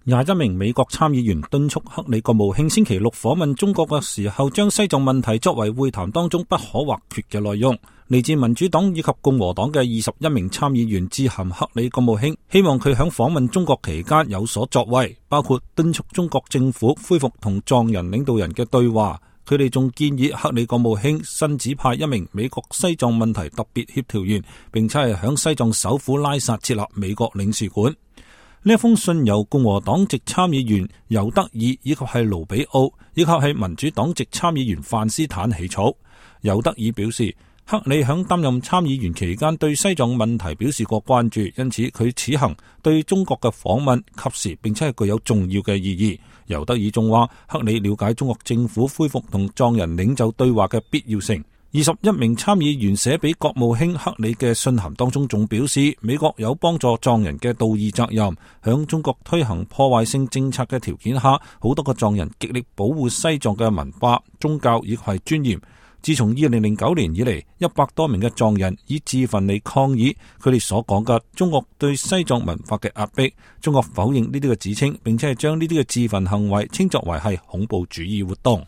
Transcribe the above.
21名美國參議員敦促克里國務卿星期六訪問中國嘅時候，將西藏問題作為會談當中不可或缺嘅內容。嚟自民主黨以及共和黨嘅21名參議員致函克里國務卿，希望佢喺訪問中國期間有所作為，包括敦促中國政府恢復同藏人領導人嘅對話。佢哋仲建議克里國務卿新指派一名美國西藏問題特別協調員，並且係響西藏首府拉薩設立美國領事館。呢一封信由共和黨籍參議員尤德爾以及係盧比奧以及係民主黨籍參議員范斯坦起草。尤德爾表示，克里響擔任參議員期間對西藏問題表示過關注，因此佢此行對中國嘅訪問及時並且係具有重要嘅意義。尤德爾仲話，克里了解中國政府恢復同藏人領袖對話嘅必要性。21名參議員寫俾國務卿克里嘅信函當中仲表示，美國有幫助藏人嘅道義責任，響中國推行破壞性政策嘅條件下，好多個藏人極力保護西藏嘅文化、宗教以及係尊嚴。自從2009年以嚟，100多名嘅藏人以自焚嚟抗議佢哋所講嘅中國對西藏文化嘅壓迫。中國否認呢啲嘅指稱，並且係將呢啲嘅自焚行為稱作為係恐怖主義活動。